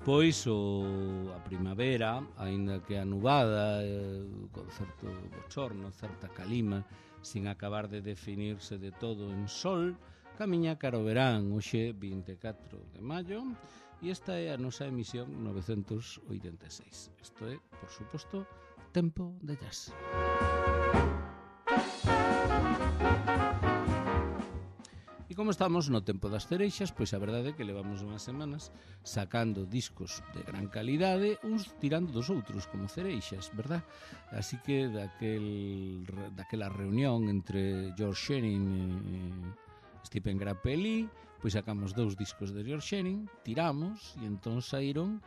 Despois a primavera, aínda que anubada, con certo bochorno, certa calima, sin acabar de definirse de todo en sol, camiña cara ao verán, hoxe 24 de maio, e esta é a nosa emisión 986. Isto é, por suposto, Tempo de Jazz. E como estamos no tempo das cereixas, pois a verdade é que levamos unhas semanas sacando discos de gran calidade, uns tirando dos outros, como cereixas, verdad? Así que daquela reunión entre George Shearing e Stephen Grappelli, pois sacamos 2 discos de George Shearing, tiramos, e entón saíron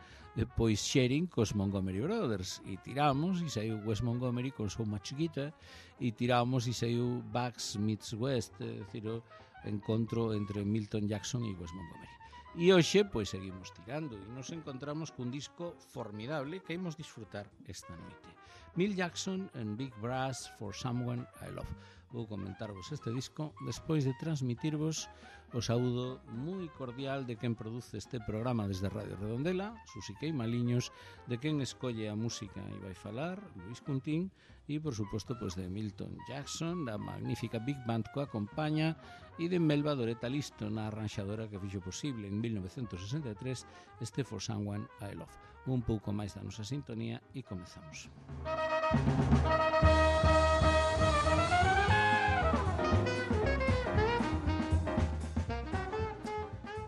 pois Shearing cos Montgomery Brothers, e tiramos, e saiu Wes Montgomery con So Much Guitar, e tiramos, e saiu Bugs meets West, é dicir, o encontro entre Milton Jackson e Wes Montgomery. E hoxe, pois, seguimos tirando e nos encontramos cun disco formidable que imos disfrutar esta noite. Milt Jackson and Big Brass for Someone I Love. Vou comentarvos este disco despois de transmitirvos o saúdo moi cordial de quen produce este programa desde Radio Redondela, Susi Queimaliños, de quen escolle a música e vai falar, Luis Cuntín, e, por suposto, pues, de Milton Jackson, da magnífica Big Band que acompaña, e de Melba Doreta Listo, na arranxadora que fixo posible en 1963 este For Someone I Love. Un pouco máis da nosa sintonía e comezamos.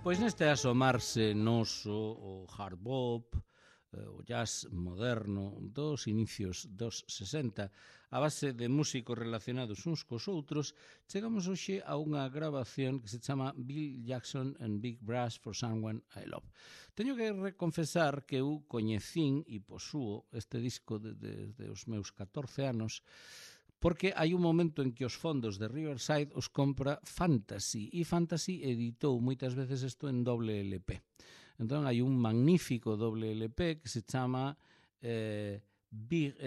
Pois neste asomarse noso o hard bop, o jazz moderno dos inicios dos 60, a base de músicos relacionados uns cos outros, chegamos hoxe a unha grabación que se chama Bill Jackson and Big Brass for Someone I Love. Teño que reconfesar que eu coñecín e posúo este disco desde os meus 14 anos, porque hai un momento en que os fondos de Riverside os compra Fantasy, e Fantasy editou moitas veces isto en doble LP. Entón hai un magnífico doble LP que se chama Big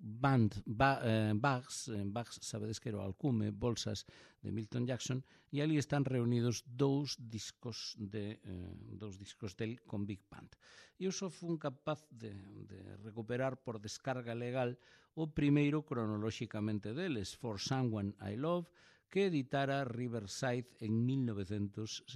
Band Bags, sabedes que era o alcume, bolsas de Milton Jackson, e ali están reunidos 2 discos del con Big Band. E eu só fun capaz de recuperar por descarga legal o primeiro cronolóxicamente deles, For Someone I Love, que editara Riverside en 1963.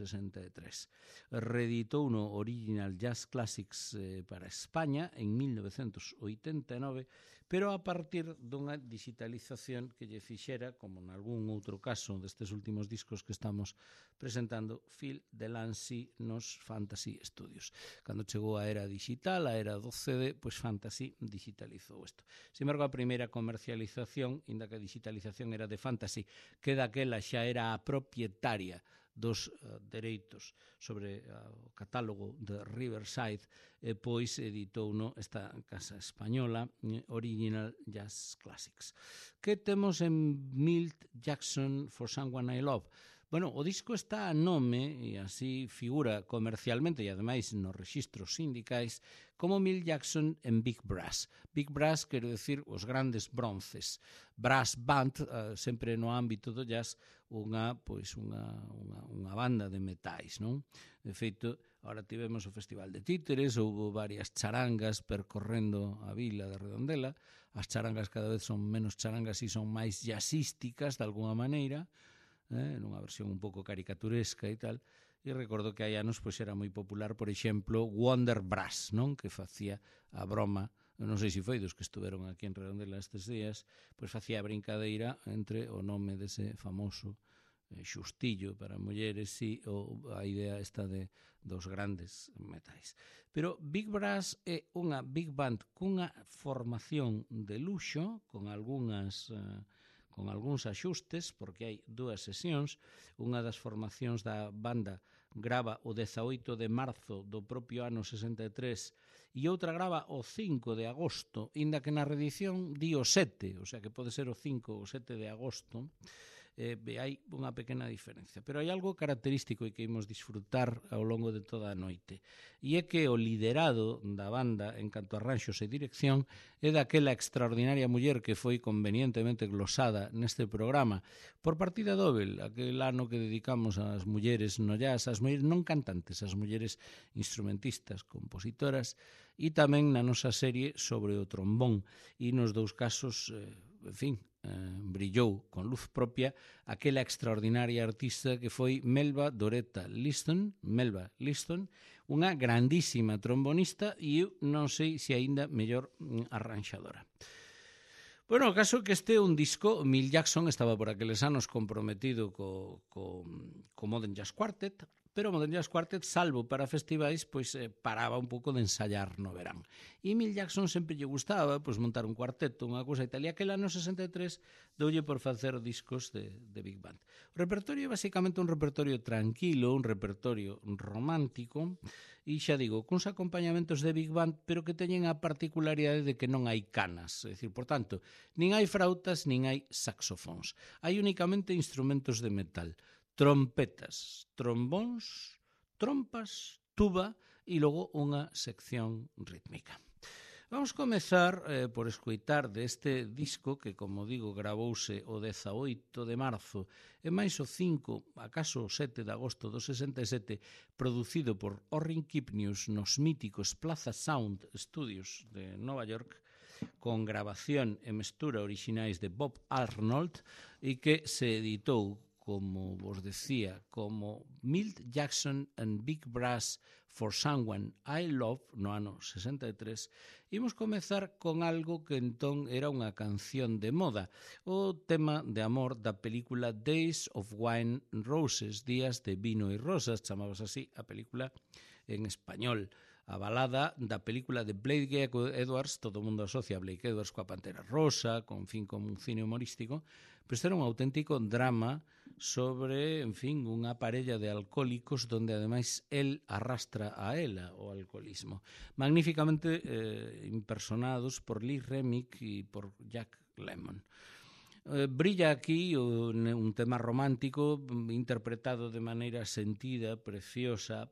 Reeditou no Original Jazz Classics para España en 1989, pero a partir dunha digitalización que lle fixera, como en algún outro caso destes últimos discos que estamos presentando, Phil Delancey nos Fantasy Studios. Cando chegou a era digital, a era do CD, pois Fantasy digitalizou isto. Sin embargo, a primeira comercialización, inda que a digitalización era de Fantasy, que daquela xa era a propietaria dos dereitos sobre o catálogo de Riverside, pois editouno esta casa española, Original Jazz Classics. Que temos en Milt Jackson for Someone I Love? Bueno, o disco está a nome, e así figura comercialmente e ademais nos rexistros sindicais, como Milt Jackson en Big Brass. Big Brass quero decir os grandes bronces. Brass Band, sempre no ámbito do jazz, unha banda de metais, non? De feito, agora tivemos o Festival de Títeres, houve varias charangas percorrendo a vila de Redondela. As charangas cada vez son menos charangas e son máis jazzísticas, de alguna maneira, nunha versión un pouco caricaturesca e tal, e recordo que hai anos pois era moi popular, por exemplo, Wonder Brass, non? Que facía a broma, non sei se foi dos que estuveron aquí en Redondela estes días, pois facía a brincadeira entre o nome dese famoso xustillo para mulleres e a idea esta dos grandes metais. Pero Big Brass é unha big band cunha formación de luxo, con algúns axustes, porque hai 2 sesións. Unha das formacións da banda grava o 18 de marzo do propio ano 63 e outra grava o 5 de agosto, inda que na reedición di o 7, o sea que pode ser o 5 ou 7 de agosto. hai unha pequena diferencia. Pero hai algo característico e que imos disfrutar ao longo de toda a noite. E é que o liderado da banda en canto a arranxos e dirección é daquela extraordinaria muller que foi convenientemente glosada neste programa por partida doble, aquel ano que dedicamos ás mulleres no jazz, ás mulleres non cantantes, ás mulleres instrumentistas, compositoras, e tamén na nosa serie sobre o trombón. E nos dous casos, en fin, brillou con luz propia aquela extraordinaria artista que foi Melba Doretta Liston, unha grandísima trombonista e eu non sei se aínda mellor arranxadora. Bueno, o caso que este é un disco, Milt Jackson estaba por aqueles anos comprometido co Modern Jazz Quartet, pero o Modern Jazz Quartet, salvo para festivais, pois paraba un pouco de ensayar no verán. E Milt Jackson sempre lle gustaba pois montar un cuarteto, unha cousa e tal, e aquel ano 63 doulle por facer discos de Big Band. O repertorio é basicamente un repertorio tranquilo, un repertorio romántico, e xa digo, cuns acompañamentos de Big Band, pero que teñen a particularidade de que non hai canas, é dicir, por tanto, nin hai frautas, nin hai saxofóns. Hai únicamente instrumentos de metal, trompetas, trombóns, trompas, tuba e logo unha sección rítmica. Vamos comezar por escoitar deste disco que, como digo, gravouse o 18 de marzo e máis o 5, acaso o 7 de agosto do 67, producido por Orrin Kipnius nos míticos Plaza Sound Studios de Nova York, con grabación e mestura orixinais de Bob Arnold e que se editou, como vos decía, como Milt Jackson and Big Brass for Someone I Love no ano 63, imos comezar con algo que entón era unha canción de moda, o tema de amor da película Days of Wine and Roses, Días de Vino e Rosas, chamábase así a película en español. A balada da película de Blake Edwards, todo o mundo asocia a Blake Edwards coa Pantera Rosa, con fin como un cine humorístico, pero este era un auténtico drama sobre, en fin, unha parella de alcohólicos donde ademais el arrastra a ela o alcoholismo. Magníficamente impersonados por Lee Remick e por Jack Lemmon. Brilla aquí un tema romántico interpretado de maneira sentida, preciosa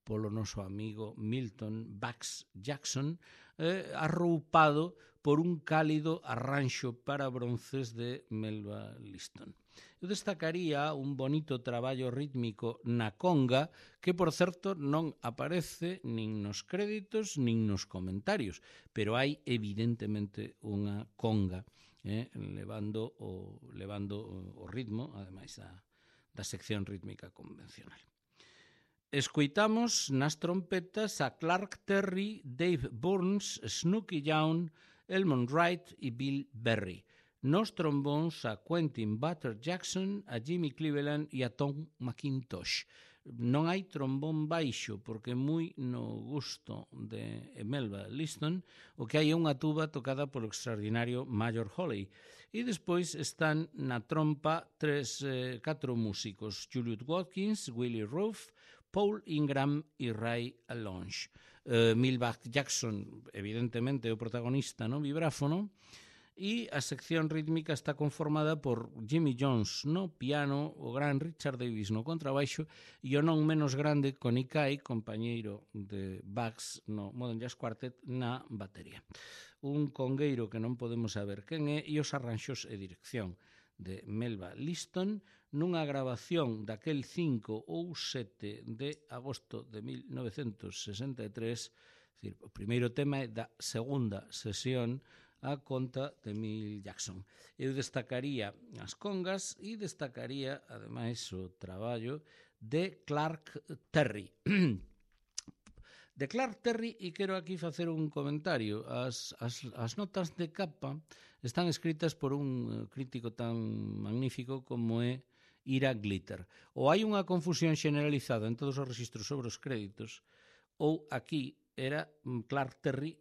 polo noso amigo Milton Bax Jackson, arroupado por un cálido arranxo para bronces de Melba Liston. Eu destacaría un bonito traballo rítmico na conga que, por certo, non aparece nin nos créditos nin nos comentarios, pero hai evidentemente unha conga levando o ritmo, ademais da sección rítmica convencional. Escoitamos nas trompetas a Clark Terry, Dave Burns, Snooky Young, Elmond Wright e Bill Berry. Nos trombóns a Quentin Butter Jackson, a Jimmy Cleveland e a Tom McIntosh. Non hai trombón baixo, porque moi no gusto de Melba Liston, o que hai é unha tuba tocada polo extraordinario Major Holley. E despois están na trompa 4 músicos, Juliet Watkins, Willie Roof, Paul Ingram e Ray Alonge. Milt Jackson, evidentemente, é o protagonista no vibráfono, e a sección rítmica está conformada por Jimmy Jones no piano, o gran Richard Davis no contrabaixo e o non menos grande Connie Kay, compañeiro de Bugs no Modern Jazz Quartet, na batería. Un congueiro que non podemos saber quen é, e os arranxos e dirección de Melba Liston nunha grabación daquel 5 ou 7 de agosto de 1963, o primeiro tema é da segunda sesión a conta de Milt Jackson. Eu destacaría as congas e destacaría, ademais, o traballo de Clark Terry. De Clark Terry, e quero aquí facer un comentario. As notas de capa están escritas por un crítico tan magnífico como é Ira Glitter. Ou hai unha confusión generalizada en todos os registros sobre os créditos, ou aquí era Clark Terry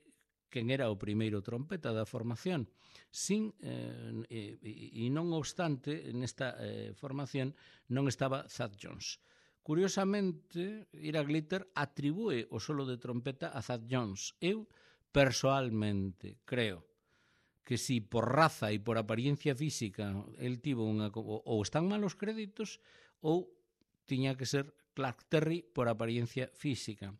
quen era o primeiro trompeta da formación. E non obstante, nesta formación non estaba Thad Jones. Curiosamente, Ira Glitter atribúe o solo de trompeta a Thad Jones. Eu, persoalmente, creo que si por raza e por apariencia física el tivo ou están malos créditos ou tiña que ser Clark Terry por apariencia física.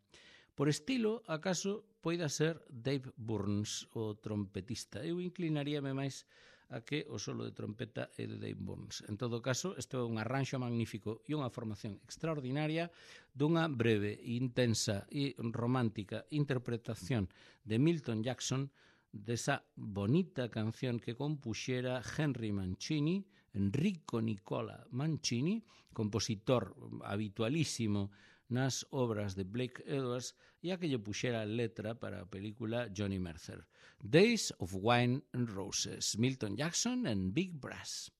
Por estilo, acaso poida ser Dave Burns, o trompetista. Eu inclinaríame máis a que o solo de trompeta é de Dave Burns. En todo caso, isto é un arranxo magnífico e unha formación extraordinaria dunha breve, intensa e romántica interpretación de Milton Jackson desa bonita canción que compuxera Henry Mancini, Enrico Nicola Mancini, compositor habitualísimo nas obras de Blake Edwards, e a que lle puxera a letra para a película Johnny Mercer. Days of Wine and Roses, Milton Jackson and Big Brass.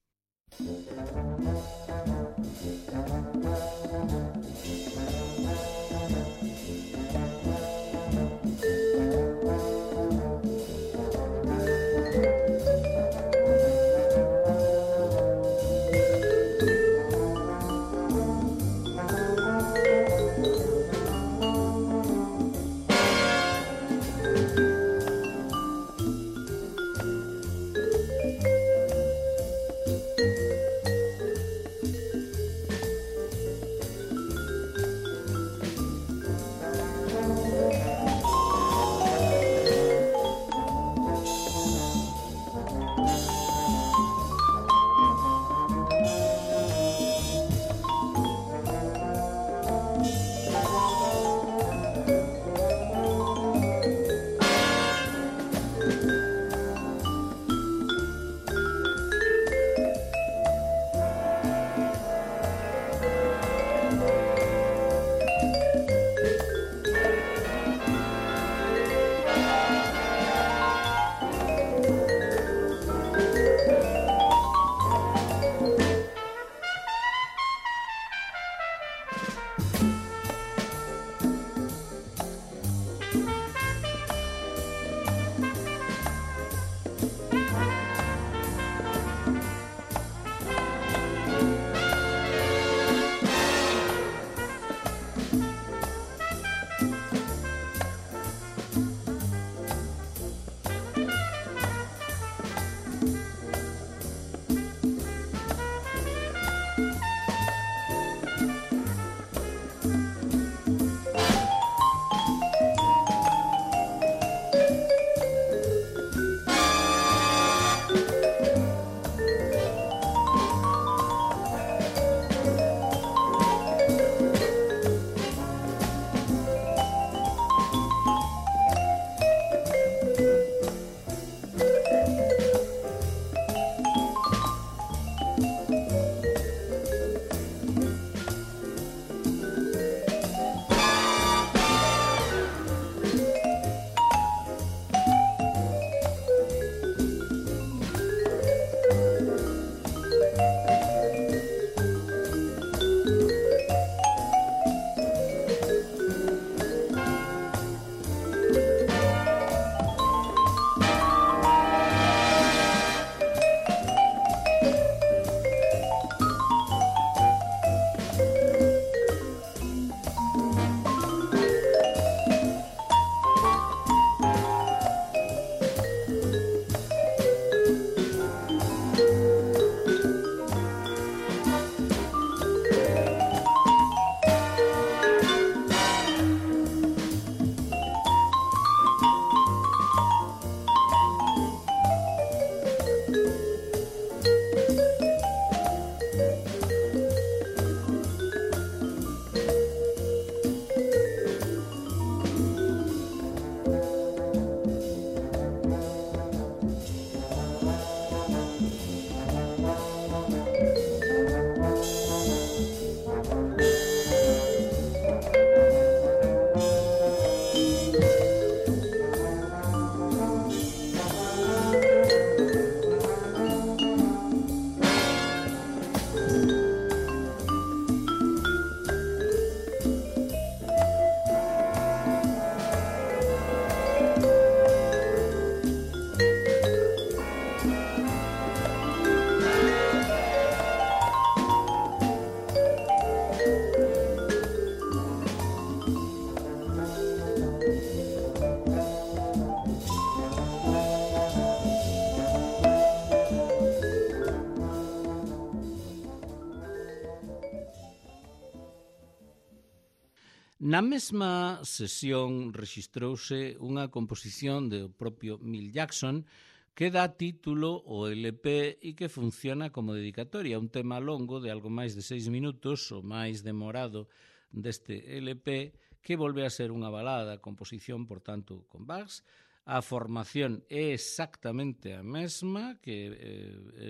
Na mesma sesión rexistrouse unha composición do propio Milt Jackson que dá título ao LP e que funciona como dedicatoria, un tema longo de algo máis de 6 minutos, o máis demorado deste LP, que volve a ser unha balada, composición, por tanto, con Bugs. A formación é exactamente a mesma que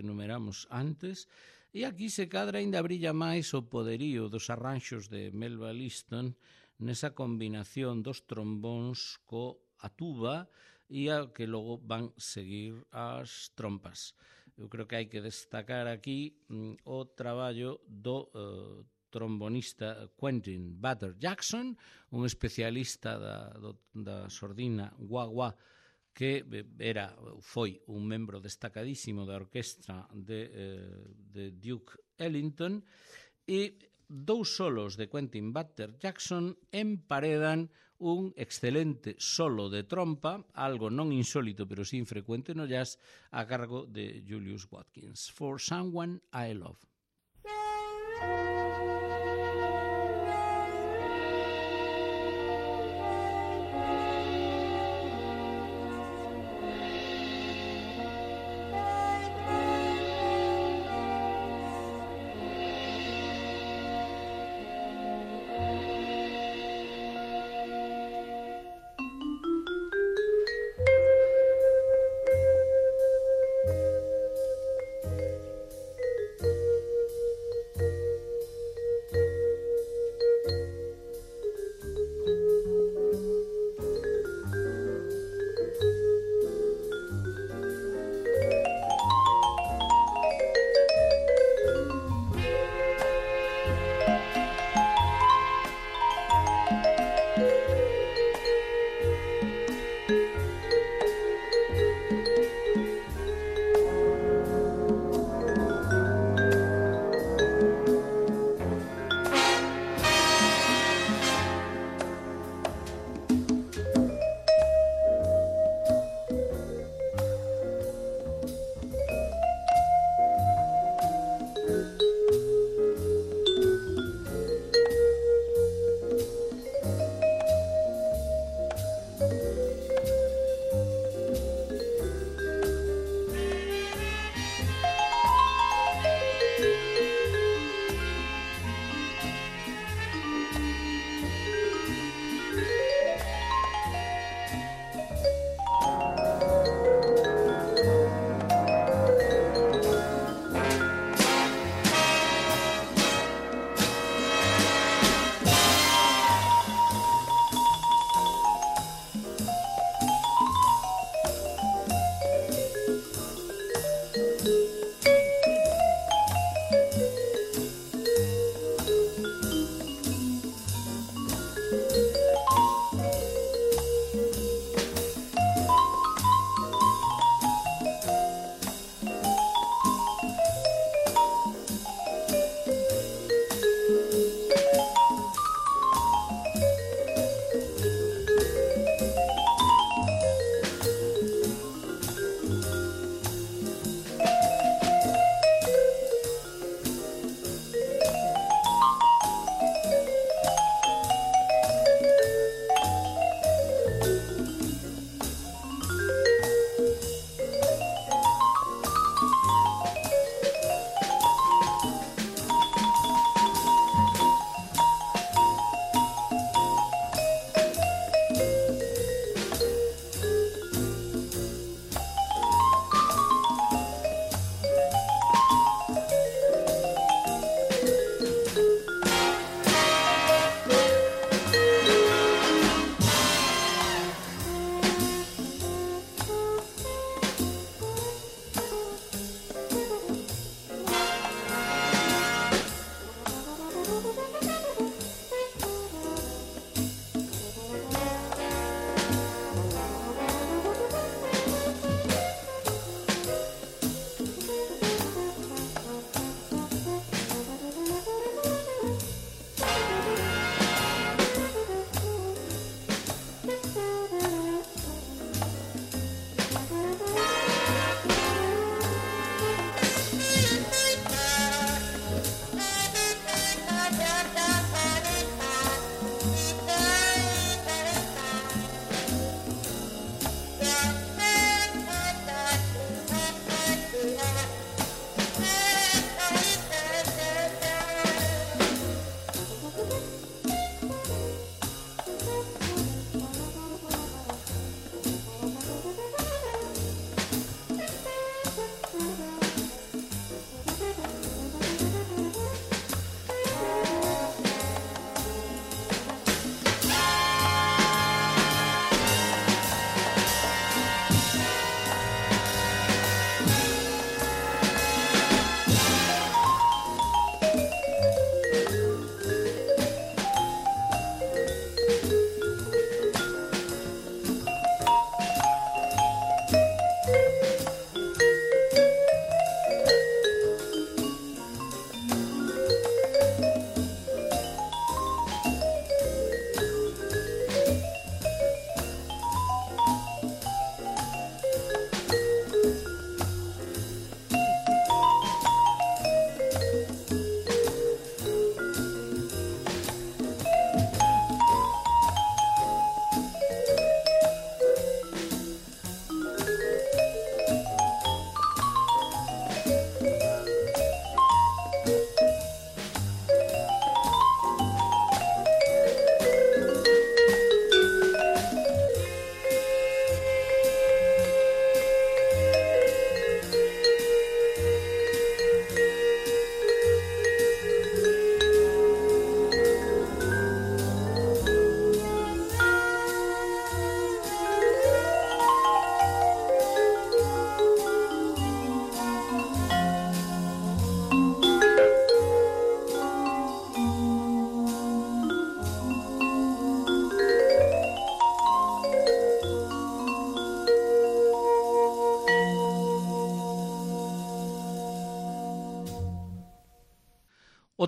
enumeramos antes, e aquí se cadra ainda brilla máis o poderío dos arranxos de Melba Liston nesa combinación dos trombóns a tuba e a que logo van seguir as trompas. Eu creo que hai que destacar aquí o traballo do trombonista Quentin Butter Jackson, un especialista da sordina wah-wah, que foi un membro destacadísimo da orquestra de Duke Ellington, e dous solos de Quentin Butter Jackson emparedan un excelente solo de trompa, algo non insólito pero sí infrecuente no jazz, a cargo de Julius Watkins. For Someone I Love.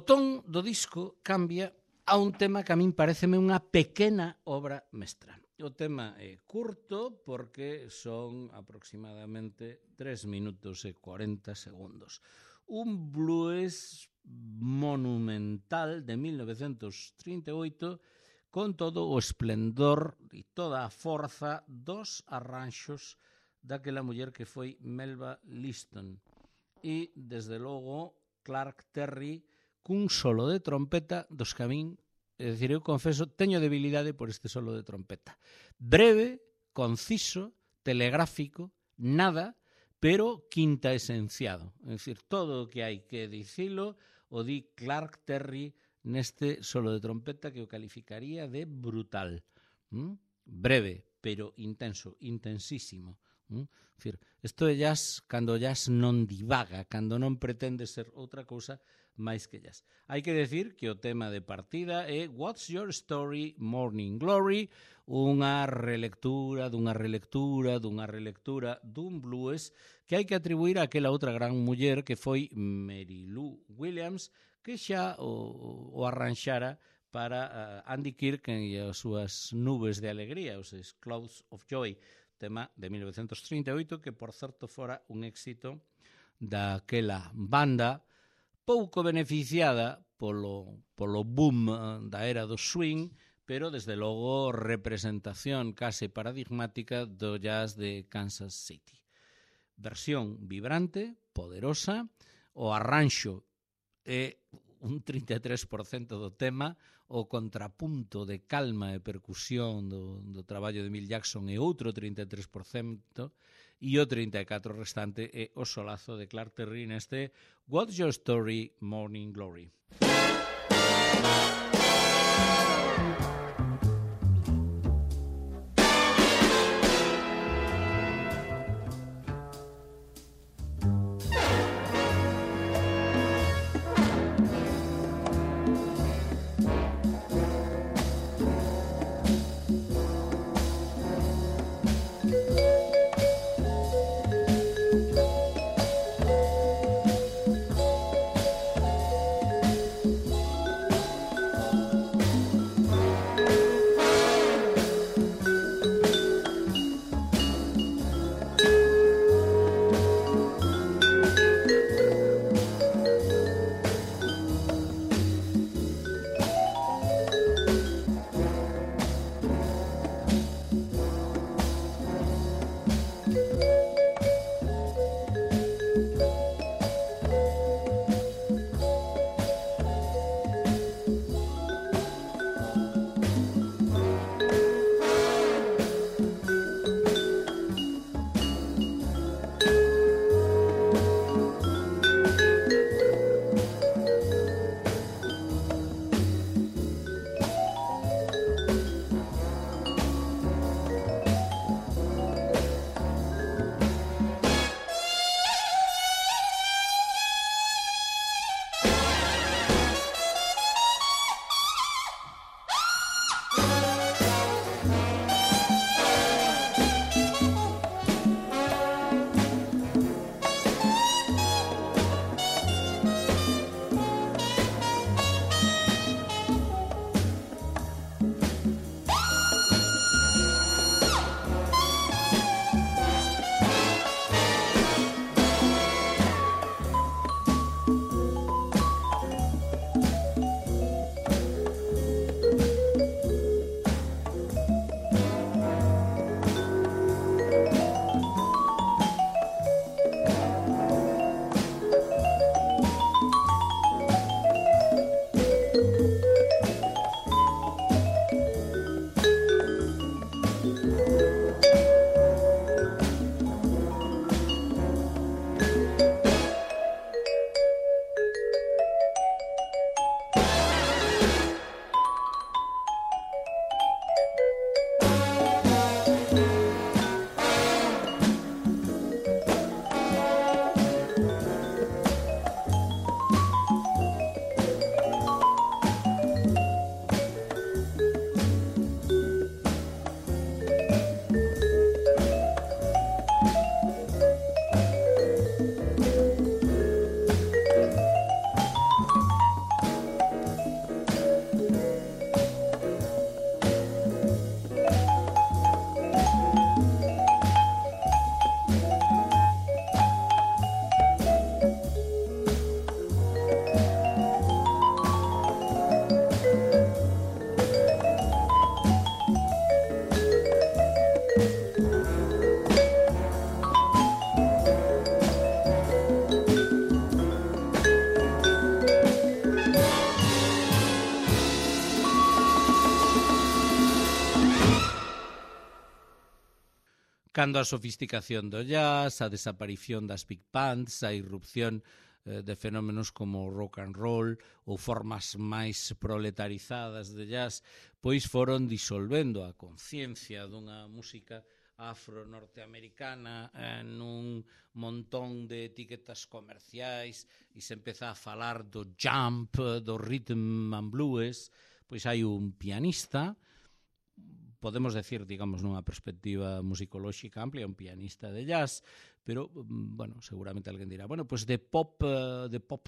ton do disco cambia a un tema que a min pareceme unha pequena obra mestra. O tema é curto porque son aproximadamente 3 minutos e 40 segundos. Un blues monumental de 1938 con todo o esplendor e toda a forza dos arranxos daquela muller que foi Melba Liston. E, desde logo, Clark Terry cun solo de trompeta dos que a min, é dicir, eu confeso, teño debilidade por este solo de trompeta. Breve, conciso, telegráfico, nada, pero quinta esenciado. É dicir, todo o que hai que dicilo o di Clark Terry neste solo de trompeta que o calificaría de brutal. Breve, pero intenso, intensísimo. Dicir, isto é jazz cando o jazz non divaga, cando non pretende ser outra cousa máis que jazz. Hai que decir que o tema de partida é What's Your Story, Morning Glory, unha relectura dun blues que hai que atribuir a aquela outra gran muller que foi Mary Lou Williams, que xa o arranxara para Andy Kirk e as súas nubes de alegría, os Clouds of Joy, tema de 1938, que por certo fora un éxito daquela banda pouco beneficiada polo boom da era do swing, pero desde logo representación case paradigmática do jazz de Kansas City. Versión vibrante, poderosa, o arranxo é un 33% do tema, o contrapunto de calma e percusión do traballo de Milt Jackson é outro 33%, e o 34% restante é o solazo de Clark Terry neste What's Your Story, Morning Glory. cando a sofisticación do jazz, a desaparición das big bands, a irrupción de fenómenos como o rock and roll ou formas máis proletarizadas de jazz, pois foron disolvendo a conciencia dunha música afro-norteamericana nun montón de etiquetas comerciais e se empeza a falar do jump, do rhythm and blues. Pois hai un pianista, podemos decir, digamos, nunha perspectiva musicolóxica amplia, un pianista de jazz, pero, bueno, seguramente alguén dirá, bueno, pues de pop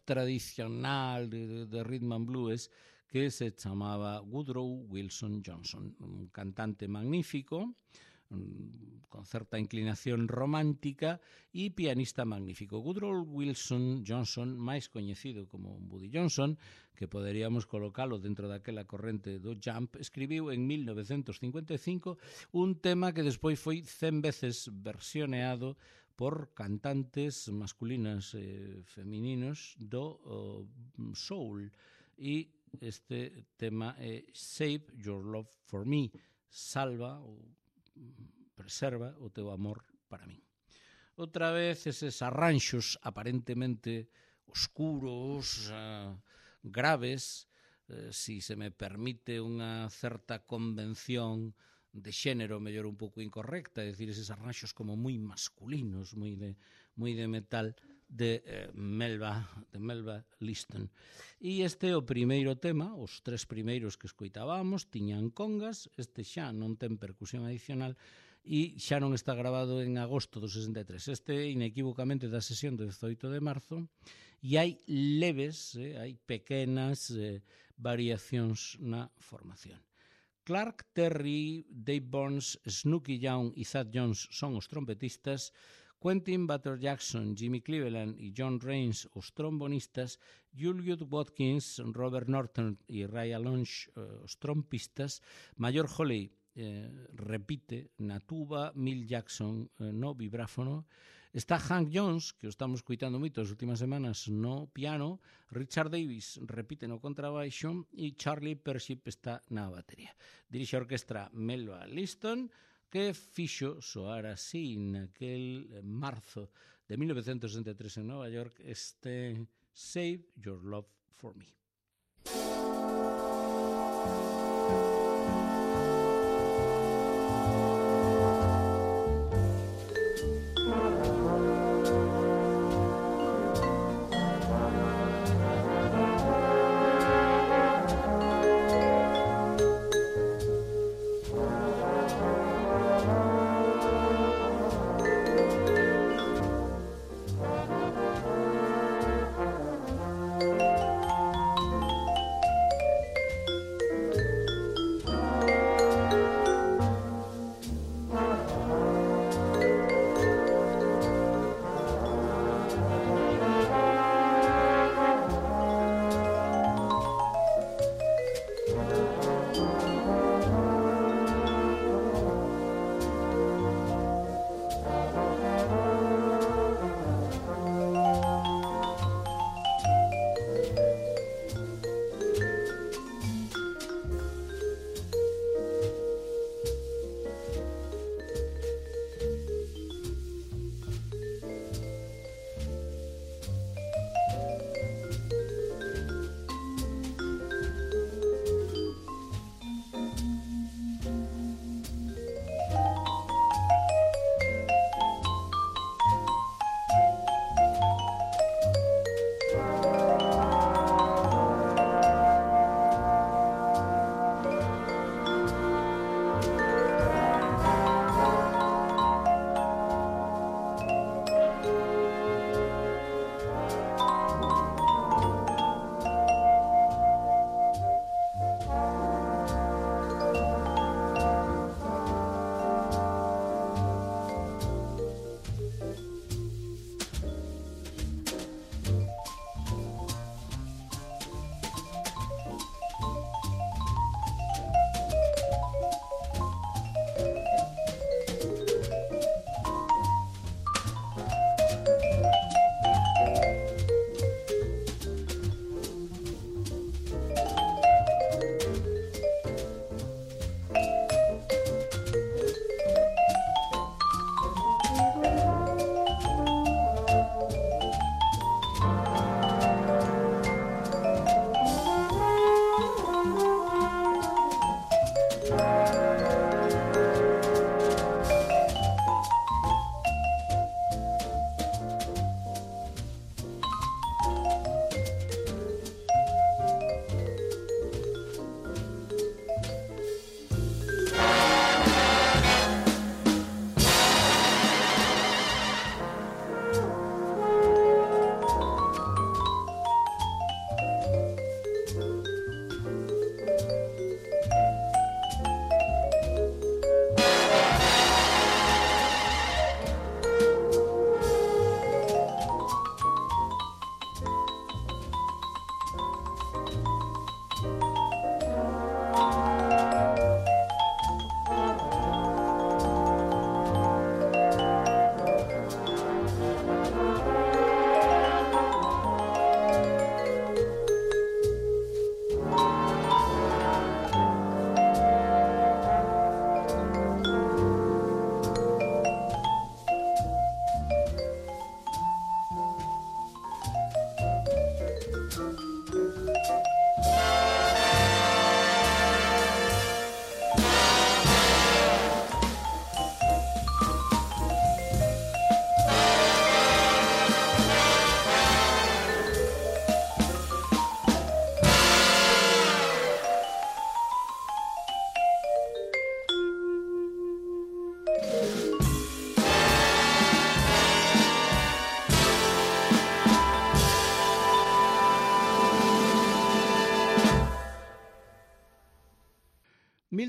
tradicional, de rhythm and blues, que se chamaba Woodrow Wilson Johnson, un cantante magnífico, con certa inclinación romántica e pianista magnífico. Woodrow Wilson Johnson, máis coñecido como Buddy Johnson, que poderíamos colocalo dentro daquela corrente do jump, escribiu en 1955 un tema que despois foi 100 veces versioneado por cantantes masculinas e femininos do soul, e este tema é Save Your Love For Me, salva ou preserva o teu amor para min. Outra vez eses arranxos aparentemente oscuros, graves, si se me permite unha certa convención de xénero mellor un pouco incorrecta, é dicir, eses arranxos como moi masculinos, moi de metal, de Melba Liston. E este é o primeiro tema, os tres primeiros que escoitábamos tiñan congas, este xa non ten percusión adicional e xa non está grabado en agosto do 63. Este inequívocamente da sesión do 18 de marzo e hai leves, hai pequenas variacións na formación. Clark Terry, Dave Burns, Snooky Young e Thad Jones son os trompetistas, Quentin Butler Jackson, Jimmy Cleveland e John Raines os trombonistas, Julius Watkins, Robert Norton e Ray Alonge os trompistas, Mayor Holly repite na tuba, Mill Jackson no vibráfono, está Hank Jones, que o estamos coitando moito as últimas semanas, no piano, Richard Davis repite no contrabaixo e Charlie Persip está na batería. Dirixe a orquestra Melba Liston, que fixo soar así naquel marzo de 1963 en Nova York este Save Your Love For Me.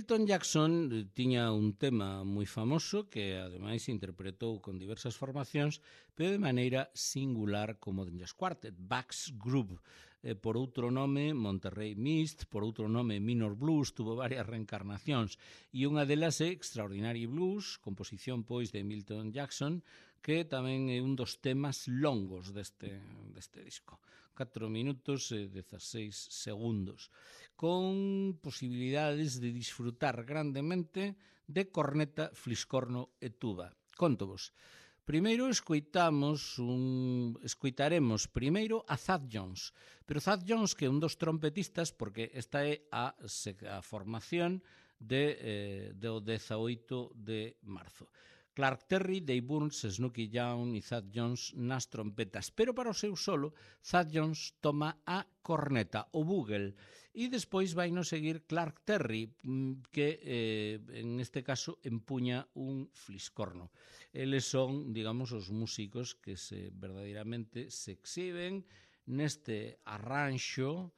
Milton Jackson tiña un tema moi famoso que ademais interpretou con diversas formacións, pero de maneira singular como den Jazz Quartet, Bach's Groove. Por outro nome Monterrey Mist, por outro nome Minor Blues, tuvo varias reencarnacións e unha delas é Extraordinary Blues, composición pois de Milton Jackson, que tamén é un dos temas longos deste disco. 4 minutos e 16 segundos, con posibilidades de disfrutar grandemente de corneta, fliscorno e tuba. Contovos. Primeiro escoitaremos primeiro a Thad Jones, pero Thad Jones que é un dos trompetistas, porque esta é a formación do 18 de marzo. Clark Terry, Dave Burns, Snooky Young e Thad Jones nas trompetas, pero para o seu solo, Thad Jones toma a corneta, o bugle, e despois vai nos seguir Clark Terry, que en este caso empuña un fliscorno. Eles son, digamos, os músicos que verdadeiramente se exhiben neste arranxo.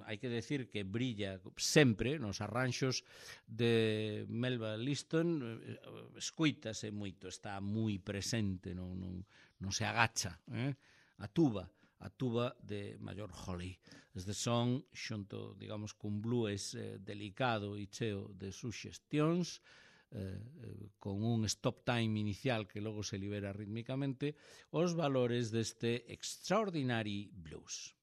Hai que decir que brilla sempre nos arranxos de Melba Liston, escoítase moito, está moi presente, non se agacha. A tuba de Major Holly. Estes son, xunto, digamos, cun blues delicado e cheo de suxestións, con un stop time inicial que logo se libera rítmicamente, os valores deste Extraordinary Blues.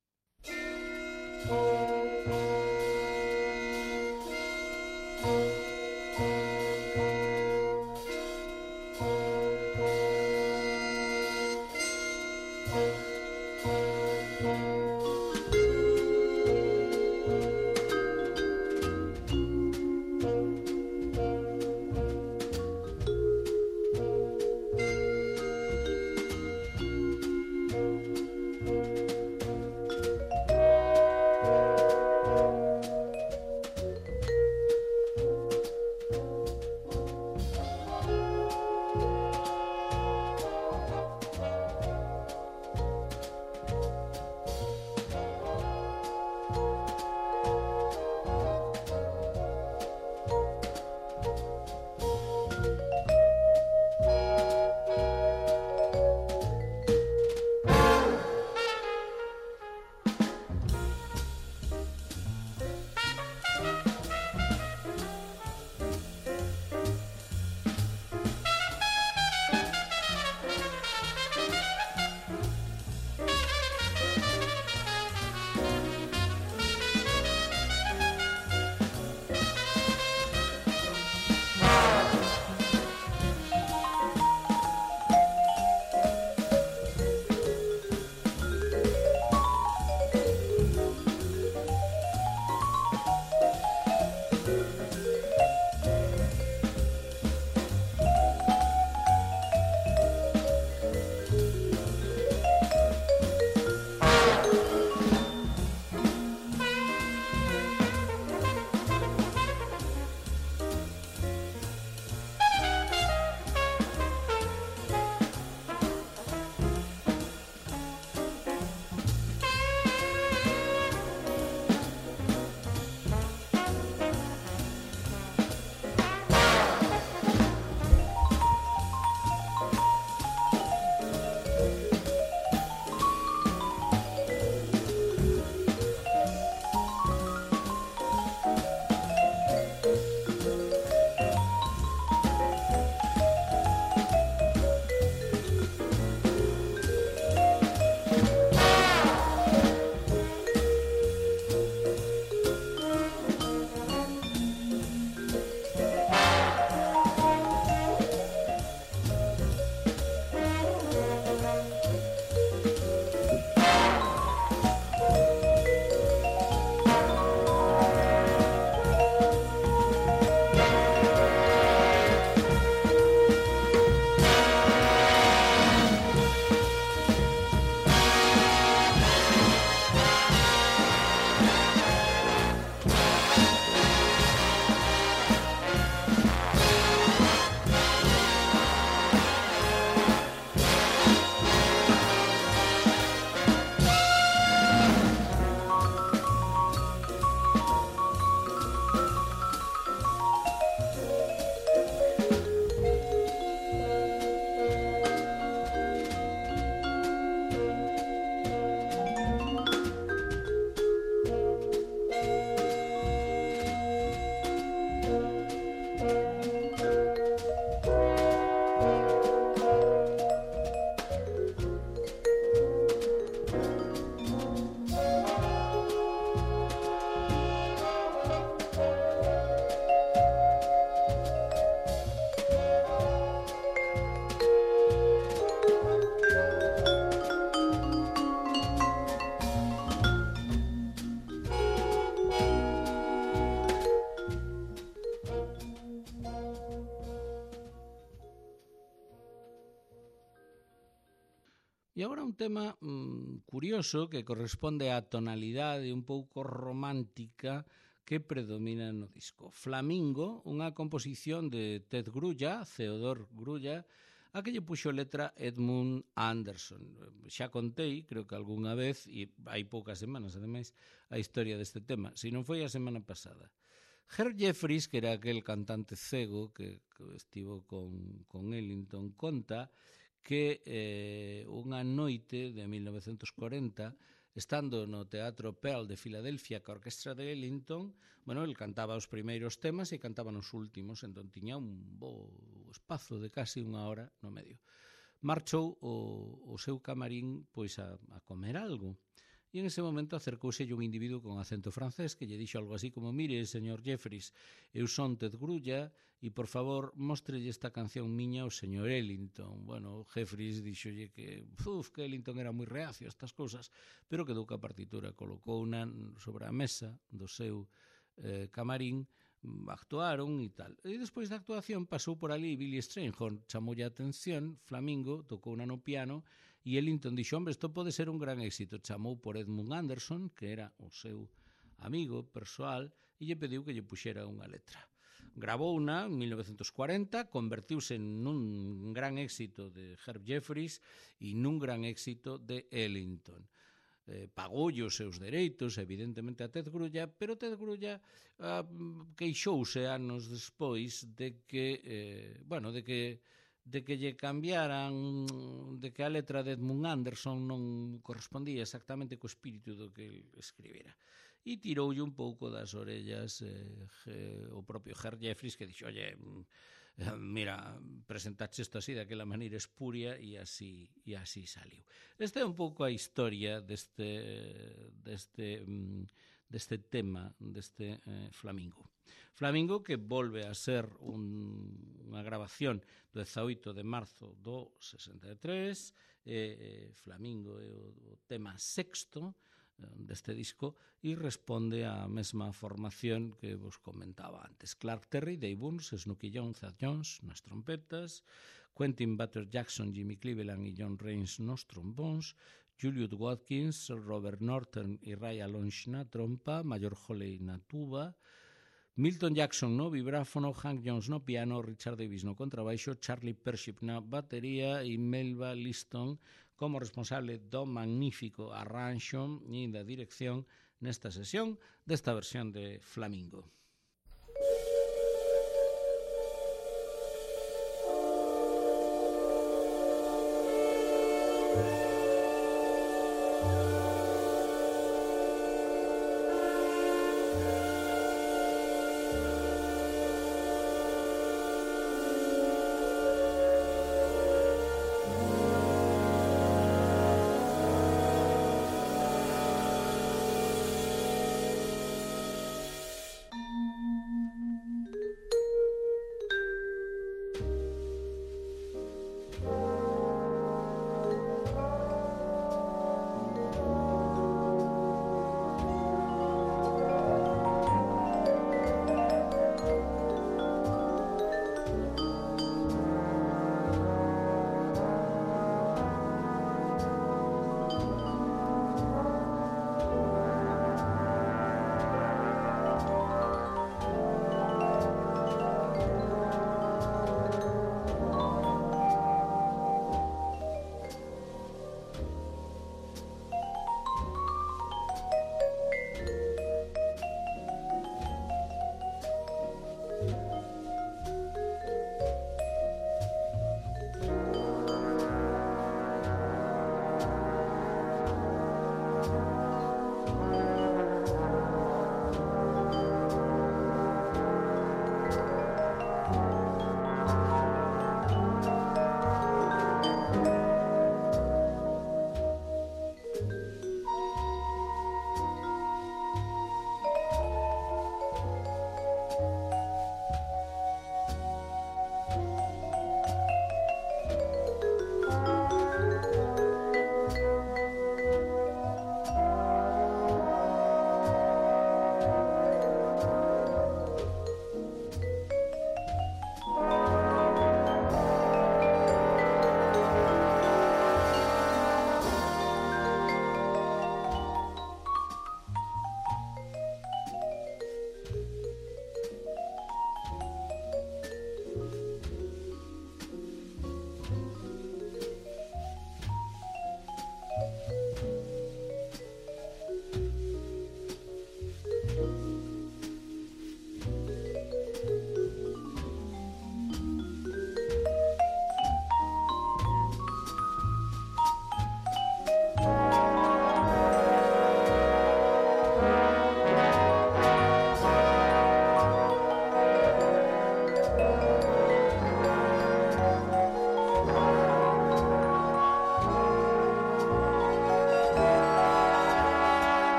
E agora un tema curioso que corresponde á tonalidade un pouco romántica que predomina no disco. Flamingo, unha composición de Ted Grulla, Theodor Grulla, a que lle puxo letra Edmund Anderson. Xa contei, creo que algunha vez, e hai poucas semanas, ademais, a historia deste tema. Se non foi a semana pasada. Herb Jeffries, que era aquel cantante cego que estivo con Ellington, conta que unha noite de 1940, estando no Teatro Pearl de Filadelfia ca orquestra de Ellington, bueno, el cantaba os primeiros temas e cantaba nos últimos, entón tiña un bo espazo de casi unha hora no medio. Marchou o seu camarín pois a comer algo. E en ese momento acercouse un individuo con acento francés que lle dixo algo así como: mire, señor Jeffries, eu son Ted Grulla e, por favor, mostrelle esta canción miña ao señor Ellington. Bueno, Jeffries dixolle que Ellington era moi reacio a estas cousas, pero quedou ca partitura, colocouna sobre a mesa do seu camarín, actuaron e tal. E despois da actuación pasou por ali Billy Strayhorn, chamoulle a atención, Flamingo, tocouna no piano, e Ellington dixo: hombre, isto pode ser un gran éxito. Chamou por Edmund Anderson, que era o seu amigo persoal, e lle pediu que lle puxera unha letra. Gravouna en 1940, convertiuse nun gran éxito de Herb Jeffries e nun gran éxito de Ellington. Pagoulle os seus dereitos, evidentemente, a Ted Grulla, pero Ted Grulla queixouse anos despois de que, de que lle cambiaran, de que a letra de Edmund Anderson non correspondía exactamente co espírito do que el escribira. E tiroulle un pouco das orellas o propio Herb Jeffries, que dixo: oye, mira, presentaxe isto así, daquela maneira espuria, e así saliu. Esta é un pouco a historia deste tema, deste Flamingo. Flamingo, que volve a ser unha grabación do 18 de marzo do 63, Flamingo é o tema sexto deste disco e responde á mesma formación que vos comentaba antes. Clark Terry, Dave Burns, Snooky Jones, Thad Jones nas trompetas, Quentin Butter Jackson, Jimmy Cleveland e John Raines nos trombóns, Julius Watkins, Robert Norton e Ray Alonge na trompa, Major Holley na tuba, Milton Jackson no vibráfono, Hank Jones no piano, Richard Davis no contrabaixo, Charlie Pership na batería e Melba Liston como responsable do magnífico arranxo e da dirección nesta sesión desta versión de Flamingo.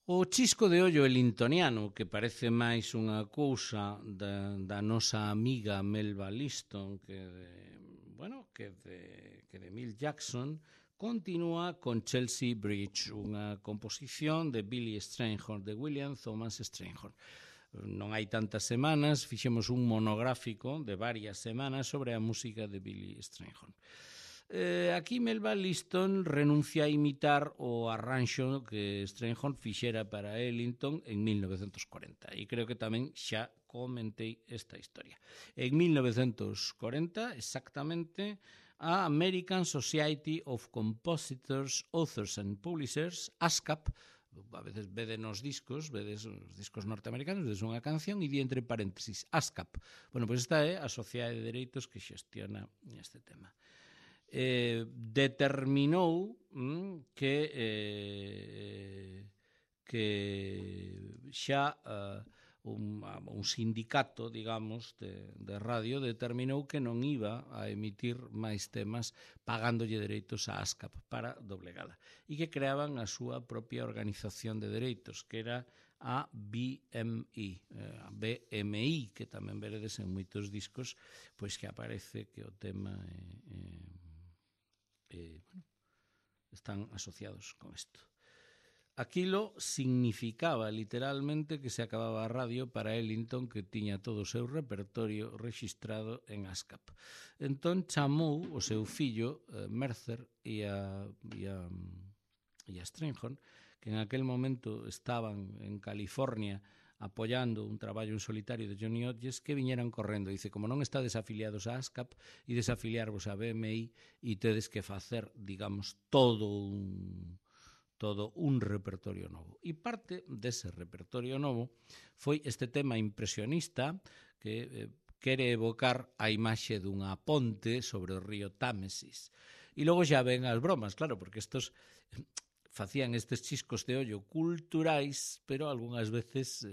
O chisco de ollo elintoniano, que parece máis unha cousa da nosa amiga Melba Liston que de Milt Jackson, continúa con Chelsea Bridge, unha composición de Billy Strayhorn, de William Thomas Strayhorn. Non hai tantas semanas, fixemos un monográfico de varias semanas sobre a música de Billy Strayhorn. Aquí Melba Liston renuncia a imitar o arranxo que Strayhorn fixera para Ellington en 1940, e creo que tamén xa comentei esta historia. En 1940, exactamente, a American Society of Compositors, Authors and Publishers, ASCAP, a veces vedes os discos norteamericanos, vedes unha canción e di entre paréntesis ASCAP. Bueno, pois esta é a Sociedade de Dereitos que xestiona este tema. Determinou que xa un sindicato, digamos, de radio determinou que non iba a emitir máis temas pagándolle dereitos a ASCAP para doblegala, e que creaban a súa propia organización de dereitos, que era a BMI, que tamén veredes en moitos discos, pois que aparece que o tema están asociados con isto. Aquilo significaba literalmente que se acababa a radio para Ellington, que tiña todo o seu repertorio rexistrado en ASCAP. Entón chamou o seu fillo Mercer e a Strayhorn, que en aquel momento estaban en California apoiando un traballo en solitario de Johnny Hodges, que viñeran correndo. Dice, como non estades afiliados a ASCAP e desafiliarvos a BMI e tedes que facer, digamos, todo un repertorio novo. E parte dese repertorio novo foi este tema impresionista que quere evocar a imaxe dunha ponte sobre o río Támesis. E logo xa ven as bromas, claro, porque estos facían estes chiscos de ollo culturais, pero algunhas veces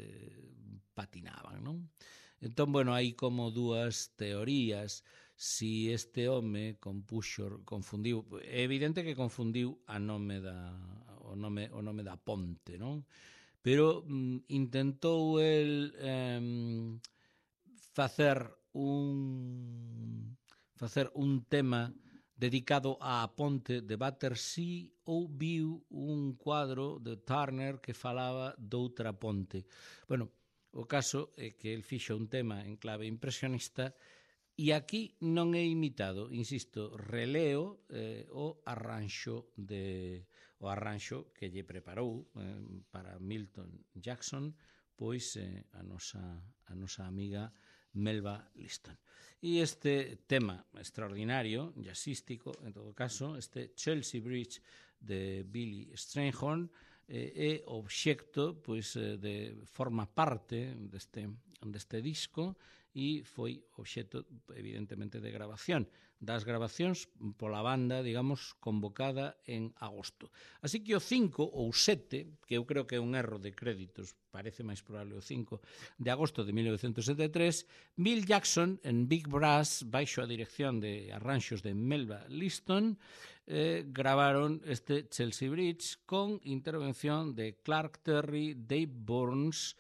patinaban, non? Entón, bueno, hai como dúas teorías. Si este home confundiu, é evidente que confundiu o nome da ponte, non? Pero intentou el facer un tema dedicado á ponte de Battersea, ou viu un cuadro de Turner que falaba doutra ponte. Bueno, o caso é que el fixo un tema en clave impresionista e aquí non é imitado, insisto, releo o arranxo que lle preparou para Milton Jackson, pois a nosa amiga Melba Liston. E este tema extraordinario, jazzístico, en todo caso, este Chelsea Bridge de Billy Strayhorn, é obxecto, pois, forma parte deste disco, e foi obxecto, evidentemente, de grabación. Das grabacións pola banda, digamos, convocada en agosto. Así que o 5 ou 7, que eu creo que é un erro de créditos, parece máis probable o 5, de agosto de 1973, Bill Jackson en Big Brass, baixo a dirección de arranxos de Melba Liston, gravaron este Chelsea Bridge con intervención de Clark Terry, Dave Burns,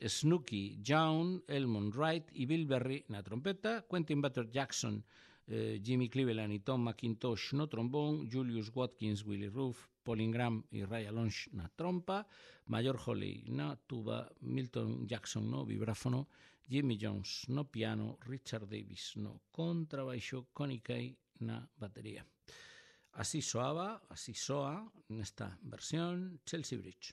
Snooky Young, Elmond Wright e Bill Berry na trompeta, Quentin Butler Jackson, Jimmy Cleveland e Tom McIntosh no trombón, Julius Watkins, Willie Roof, Paul Ingram e Ray Alonso na trompa, Major Holley na tuba, Milton Jackson no vibráfono, Jimmy Jones no piano, Richard Davis no contrabaixo, Connie Kay na batería. Así soa nesta versión Chelsea Bridge.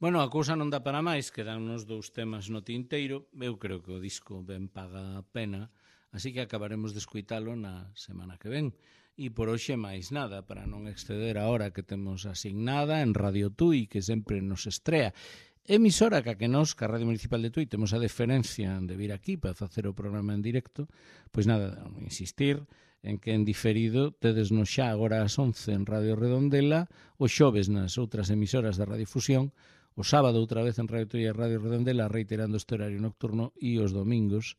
Bueno, a cousa non dá para máis, quedan nos 2 temas no tinteiro. Eu creo que o disco ben paga a pena, así que acabaremos de escuitalo na semana que ven. E por hoxe máis nada, para non exceder a hora que temos asignada en Radio Tui, que sempre nos estrea. Emisora que nos, que a Radio Municipal de Tui, temos a deferencia de vir aquí para facer o programa en directo, pois nada, insistir en que en diferido tedes no xa agora ás 11 en Radio Redondela, o xoves nas outras emisoras da Radiofusión, o sábado outra vez en Radio Tui e Radio Redondela, reiterando este horario nocturno, e os domingos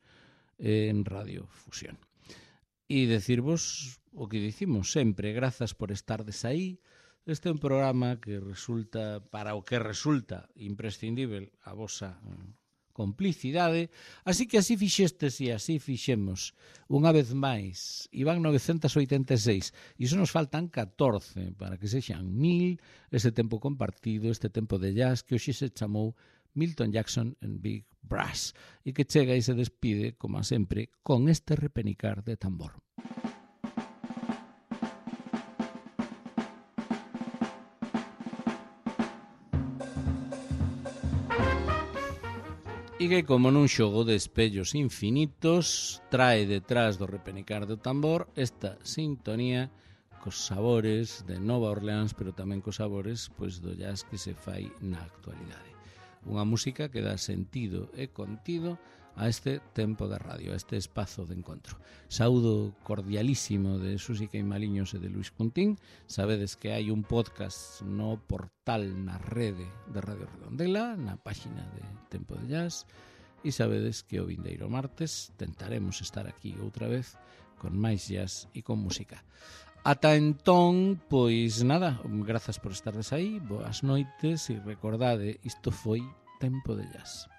en Radio Fusión. E decirvos o que dicimos sempre, grazas por estardes aí. Este é un programa que resulta, para o que resulta imprescindível a vosa complicidade, así que así fixestes e así fixemos unha vez máis. Iban 986 e iso nos faltan 14 para que sexan 1000 ese tempo compartido, este tempo de jazz que hoxe se chamou Milton Jackson and Big Brass e que chega e se despide, como sempre, con este repenicar de tambor. E que, como nun xogo de espellos infinitos, trae detrás do repenicar do tambor esta sintonía cos sabores de Nova Orleans, pero tamén cos sabores pois do jazz que se fai na actualidade. Unha música que dá sentido e contido a este tempo de radio, a este espazo de encontro. Saúdo cordialísimo de Susi Queimaliños e de Luis Cuntín. Sabedes que hai un podcast no portal, na rede de Radio Redondela, na páxina de Tempo de Jazz, e sabedes que o vindeiro martes tentaremos estar aquí outra vez con máis jazz e con música. Ata entón, pois nada, grazas por estardes aí, boas noites e recordade, isto foi Tempo de Jazz.